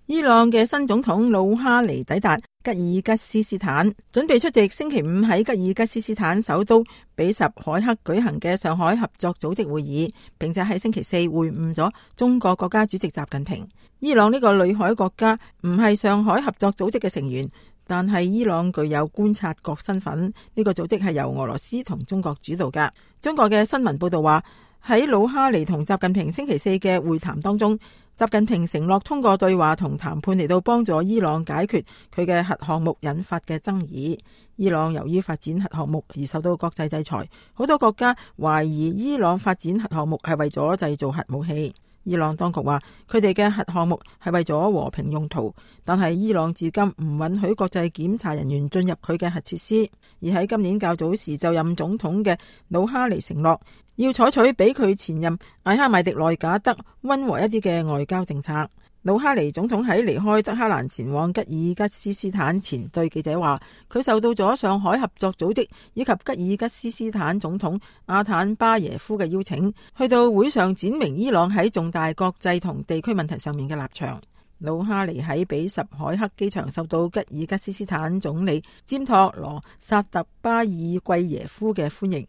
伊朗嘅新總統魯哈尼抵達吉爾吉斯斯坦，準備出席星期五喺吉爾吉斯斯坦首都比什凱克舉行嘅上海合作組織會議，並且喺星期四會晤咗中國國家主席習近平。伊朗呢個裏海國家唔係上海合作組織嘅成員，但係伊朗具有觀察國身份。呢個組織係由俄羅斯同中國主導㗎。中國嘅新聞報道話，喺魯哈尼同習近平星期四嘅會談當中，習近平承諾通過對話同談判嚟到幫助伊朗解決佢嘅核項目引發嘅爭議。伊朗由於發展核項目而受到國際制裁，好多國家懷疑伊朗發展核項目係為咗製造核武器。伊朗當局話佢哋嘅核項目係為咗和平用途，但係伊朗至今唔允許國際檢查人員進入佢嘅核設施。而喺今年較早時就任總統嘅魯哈尼承諾要採取比佢前任艾哈邁迪內賈德溫和一啲嘅外交政策。魯哈尼總統喺離開德黑蘭前往吉爾吉斯斯坦前對記者話，佢受到咗上海合作組織以及吉爾吉斯斯坦總統阿坦巴耶夫嘅邀請，去到會上闡明伊朗喺重大國際同地區問題上面嘅立場。魯哈尼喺比什凱克機場受到吉爾吉斯斯坦總理詹托羅薩特巴爾季耶夫嘅歡迎。